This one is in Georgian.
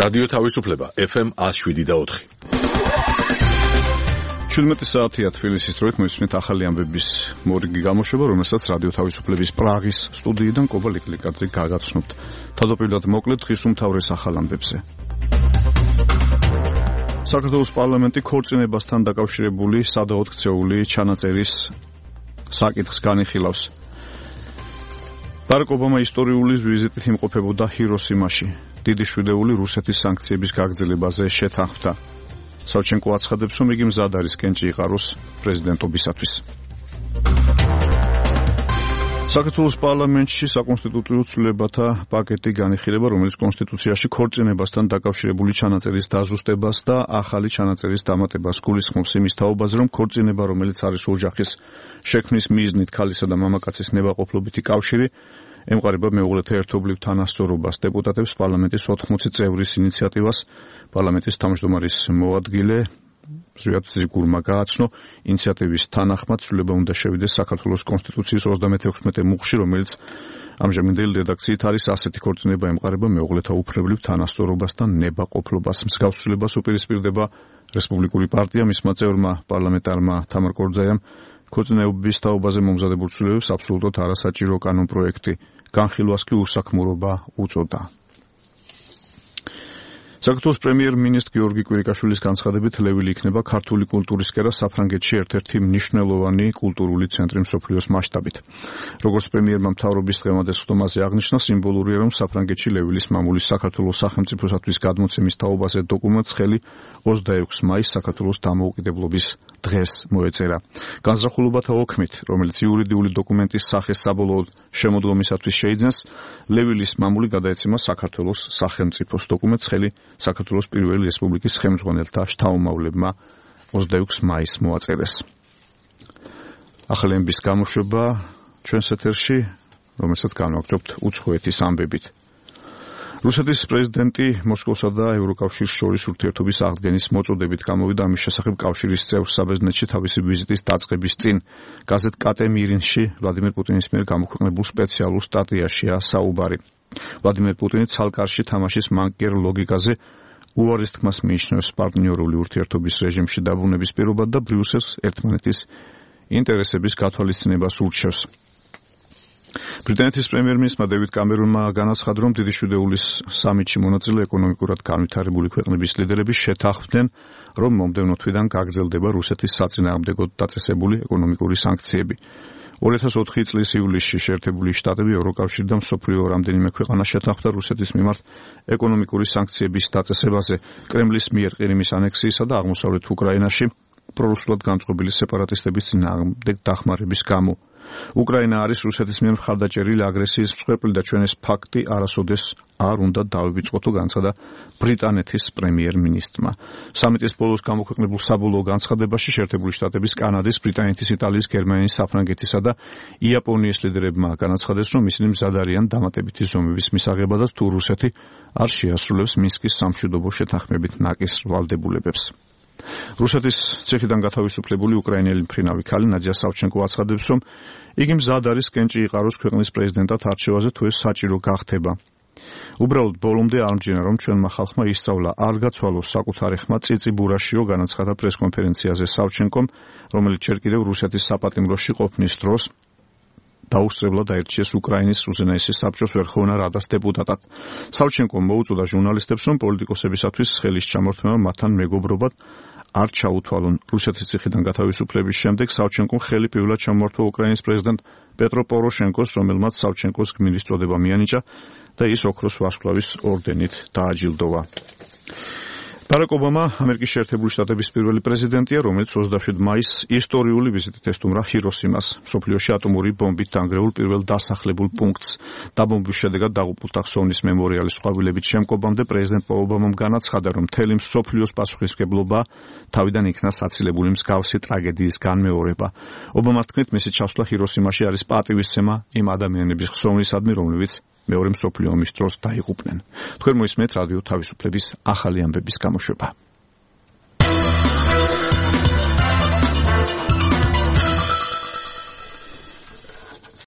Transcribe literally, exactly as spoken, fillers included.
რადიო თავისუფლება ეფ ემ ათს შვიდი და ოთხი. შვიდმეტი საათია თბილისის დროით მოისმენთ ახალი ამბების მორიგი გამოშვება, რომელსაც რადიო თავისუფლების პრაღის სტუდიიდან კობა ლიკლიკაძე გაგაცნობთ. თავდაპირველად მოკლედ დღის უმთავრეს ახალ ამბებზე. საქართველოს პარლამენტი ქორწინებასთან დაკავშირებული სადავოდ ქცეული ჩანაწერის საკითხს განიხილავს. ბარაკ ობამა ისტორიული ვიზიტით იმყოფებოდა ჰიროსიმაში. დიდი შვიდეული რუსეთის სანქციების გაგრძელებაზე შეთანხმდა. სავჩენკო აცხადებს, რომ იგი მზად არის კენჭი იყაროს პრეზიდენტობისათვის. საქართველოს პარლამენტში საკონსტიტუციო ცვლილებათა პაკეტი განიხილება, რომელიც კონსტიტუციაში ქორწინებასთან დაკავშირებული ჩანაწერის დაზუსტებას და ახალი ჩანაწერის დამატებას გულისხმობს იმის თაობაზე, რომ ქორწინება, რომელიც არის ოჯახის შექმნის მიზნით ქალისა და მამაკაცის ნებაყოფლობითი კავშირი, ემყარება მეუღლეთა ერთობლივ თანასწორობას. დეპუტატებს პარლამენტის ოთხმოცი წევრის ინიციატივას პარლამენტის თავმჯდომარის მოადგილე ზვიად ზიგურმა გააცნო. ინიციატივის თანახმად ცვლილება უნდა შევიდეს საქართველოს კონსტიტუციის ოცდამექვსმეტე მუხლში, რომელიც ამჟამინდელი რედაქციით არის ასეთი ქორწინება ემყარება მეუღლეთა უფლებრივ თანასწორობასთან ნებაყოფლობას. მსგავს ცვლილებას უპირისპირდება რესპუბლიკური პარტია, მისმა წევრმა პარლამენტარმა თამარ კორძაიამ ქორწინების თაობაზე მომზადებულ ცვლილებებს აბსოლუტურად არასაჭირო კანონპროექტი განხილვას კი უსაქმურობა უწოდა. საქართველოს პრემიერ-მინისტრ გიორგი კვირიკაშვილის განცხადებით ლევილი იქნება ქართული კულტურის კერა საფრანგეთში ერთ-ერთი მნიშვნელოვანი კულტურული ცენტრი მსოფლიოს მასშტაბით. როგორც პრემიერმა მთავრობის დღევანდელ სხდომაზე აღნიშნა, სიმბოლურია, რომ საფრანგეთში ლევილის მამულის საქართველოს სახელმწიფოსათვის გადმოცემის თაობაზე დოკუმენტს ხელი ოცდაექვსი მაისს საქართველოს დამოუკიდებლობის დღეს მოეწერა. განზრახულობათა ოქმით, რომელიც იურიდიული დოკუმენტის სახეს საბოლოოდ შემოდგომისათვის შეიძენს, ლევილის მამული გადაეცემა საქართველოს სახელმწიფოს დოკუმენტს ხელი საქართველოს პირველი რესპუბლიკის ხელმძღვანელთა შთაომავლებმა ოცდაექვსი მაისს მოაწერეს. ახალი ამბების გამოშვება ჩვენს ეთერში, რომელსაც განვაგრძობთ უცხოეთის ამბებით. რუსეთის პრეზიდენტი მოსკოვსა და ევროკავშირს შორის ურთიერთობის აღდგენის მოწოდებით გამოვიდა. ამის შესახებ კავშირის წევრ საბერძნეთში თავისი ვიზიტის დაწყების წინ გაზეთ კატე მირინში ვლადიმერ პუტინის მიერ გამოქვეყნებულ სპეციალურ სტატიაშია საუბარი. ვლადიმერ პუტინი ცალკარში თამაშის მანკიერ ლოგიკაზე უარის თქმას მიიჩნევს პარტნიორული ურთიერთობის რეჟიმში დაბრუნების პირობად და ბრიუსელს ერთმანეთის ინტერესების გათვალისწინებას ურჩევს. ბრიტანეთის პრემიერ-მინისტრმა დევიდ კამერონმა განაცხადა, რომ დიდი შვიდეულის სამიტში მონაწილე ეკონომიკურად განვითარებული ქვეყნების ლიდერები შეთანხმდნენ, რომ მომდევნო თვიდან გაგრძელდება რუსეთის საწინააღმდეგოდ დაწესებული ეკონომიკური სანქციები. ორი ათას ოთხი წლის ივლისში შეერთებული შტატები, ევროკავშირი და მსოფლიო რამდენიმე ქვეყანა შეთანხმდა რუსეთის მიმართ ეკონომიკური სანქციების დაწესებაზე კრემლის მიერ ყირიმის ანექსიისა და აღმოსავლეთ უკრაინაში პრორუსულად განწყობილი სეპარატისტების წინააღმდეგ დახმარების გამო. უკრაინა არის რუსეთის მიერ მხარდაჭერილი აგრესიის მსხვერპლი და ჩვენ ეს ფაქტი არასოდეს არ უნდა დავივიწყოთ, განცხადა ბრიტანეთის პრემიერ-მინისტრმა. სამიტის ბოლოს გამოქვეყნებულ საბოლოო განცხადებაში შეერთებული შტატების, კანადის, ბრიტანეთის, იტალიის, გერმანიის, საფრანგეთისა და იაპონიის ლიდერებმა განაცხადეს, რომ ისინი მზად არიან დამატებითი ზომების მისაღებადაც, თუ რუსეთი არ შეასრულებს მინსკის სამშვიდობო შეთანხმებით ნაკის ვალდებულებებს. რუსეთის ციხიდან გათავისუფლებული უკრაინელი მფრინავი ქალი ნადია სავჩენკო აცხადებს, რომ იგი მზად არის კენჭი იყაროს ქვეყნის პრეზიდენტად არჩევაზე, თუ ეს საჭირო გახდება. უბრალოდ ბოლომდე არ მჯერა, რომ ჩვენმა ხალხმა ისწავლა არ გაცვალოს საკუთარი ხმა წიწიბურაშიო, განაცხადა პრესკონფერენციაზე სავჩენკომ, რომელიც ჯერ კიდევ რუსეთის საპატიმროში ყოფნის დროს დაუსწრებლად აირჩიეს უკრაინის უზენაესი საბჭოს ვერხოვნა რადას დეპუტატად. სავჩენკომ მოუწოდა ჟურნალისტებს, რომ პოლიტიკოსებისათვის ხელის ჩამორთმევა მათთან მეგობრობად არ ჩაუთვალონ. რუსეთის ციხიდან გათავისუფლების შემდეგ სავჩენკომ ხელი პირველად ჩამოართვა უკრაინის პრეზიდენტ პეტრო პოროშენკოს, რომელმაც სავჩენკოს გმირის წოდება მიანიჭა და ის ოქროს ვარსკვლავის ორდენით დააჯილდოვა. ბარაკ ობამა ამერიკის შეერთებული შტატების პირველი პრეზიდენტია, რომელიც ოცდაშვიდი მაისს ისტორიული ვიზიტით ესტუმრა ჰიროსიმას, მსოფლიოში ატომური ბომბით დანგრეულ პირველ დასახლებულ პუნქტს. დაბომბვის შედეგად დაღუპულთა ხსოვნის მემორიალის ყვავილებით შემკობამდე პრეზიდენტ ობამამ განაცხადა, რომ მთელი მსოფლიოს პასუხისმგებლობა თავიდან იქნა საცილებული მსგავსი ტრაგედიის განმეორება. ობამას თქმით, მისი ჩასვლა ჰიროსიმაში არის პატივისცემა იმ ადამიანების ხსოვნისადმი, რომლებიც მეორე მსოფლიო ომის დროს დაიღუპნენ. თქვენ მოისმენთ რადიო თავისუფლების ახალი ამბების გამოშვება.